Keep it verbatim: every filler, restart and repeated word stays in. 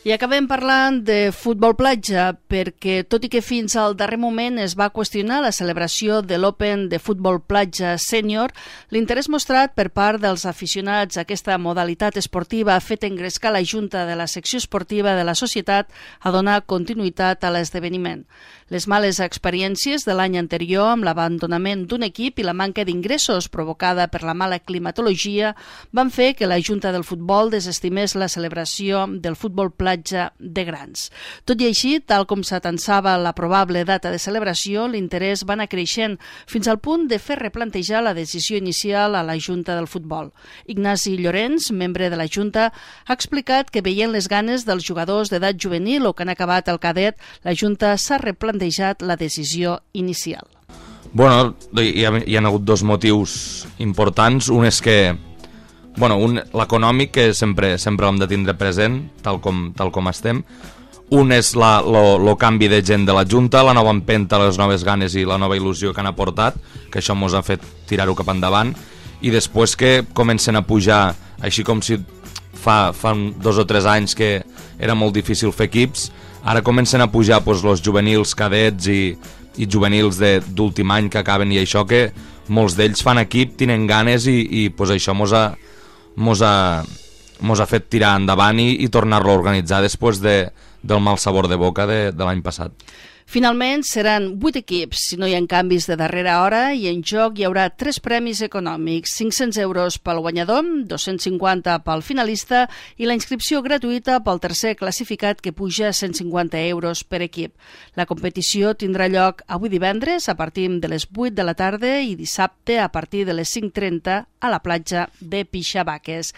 I acabem parlant de futbol platja perquè, tot i que fins al darrer moment es va qüestionar la celebració de l'Open de futbol platja sènior, l'interès mostrat per part dels aficionats a aquesta modalitat esportiva ha fet engrescar la Junta de la secció esportiva de la societat a donar continuïtat a l'esdeveniment. Les males experiències de l'any anterior amb l'abandonament d'un equip i la manca d'ingressos provocada per la mala climatologia van fer que la Junta del Futbol desestimés la celebració del futbol platja de grans. Tot i així, tal com s'atensava la probable data de celebració, l'interès va anar creixent fins al punt de fer replantejar la decisió inicial a la Junta del Futbol. Ignasi Llorenç, membre de la Junta, ha explicat que veient les ganes dels jugadors d'edat juvenil o que han acabat el cadet, la Junta s'ha replantejat la decisió inicial. Bueno, hi ha, hi ha hagut dos motius importants. Un és que Bueno, un, l'econòmic, que sempre sempre l'hem de tindre present, tal com, tal com estem. Un és la, lo, lo canvi de gent de la Junta, la nova empenta, les noves ganes i la nova il·lusió que han aportat, que això ens ha fet tirar-ho cap endavant. I després que comencen a pujar, així com si fa, fa dos o tres anys que era molt difícil fer equips, ara comencen a pujar pues, els juvenils, cadets i, i juvenils d'últim any que acaben, i això que molts d'ells fan equip, tenen ganes i, i pues, això mos ha Mos ha, mos ha fet tirar endavant i, i tornar-lo a organitzar després de, del mal sabor de boca de, de l'any passat. Finalment, seran vuit equips, si no hi ha canvis de darrera hora, i en joc hi haurà tres premis econòmics, cinc-cents euros pel guanyador, dos-cents cinquanta pel finalista i la inscripció gratuïta pel tercer classificat, que puja a cent cinquanta euros per equip. La competició tindrà lloc avui divendres a partir de les vuit de la tarda i dissabte a partir de les cinc trenta a la platja de Pixabaques.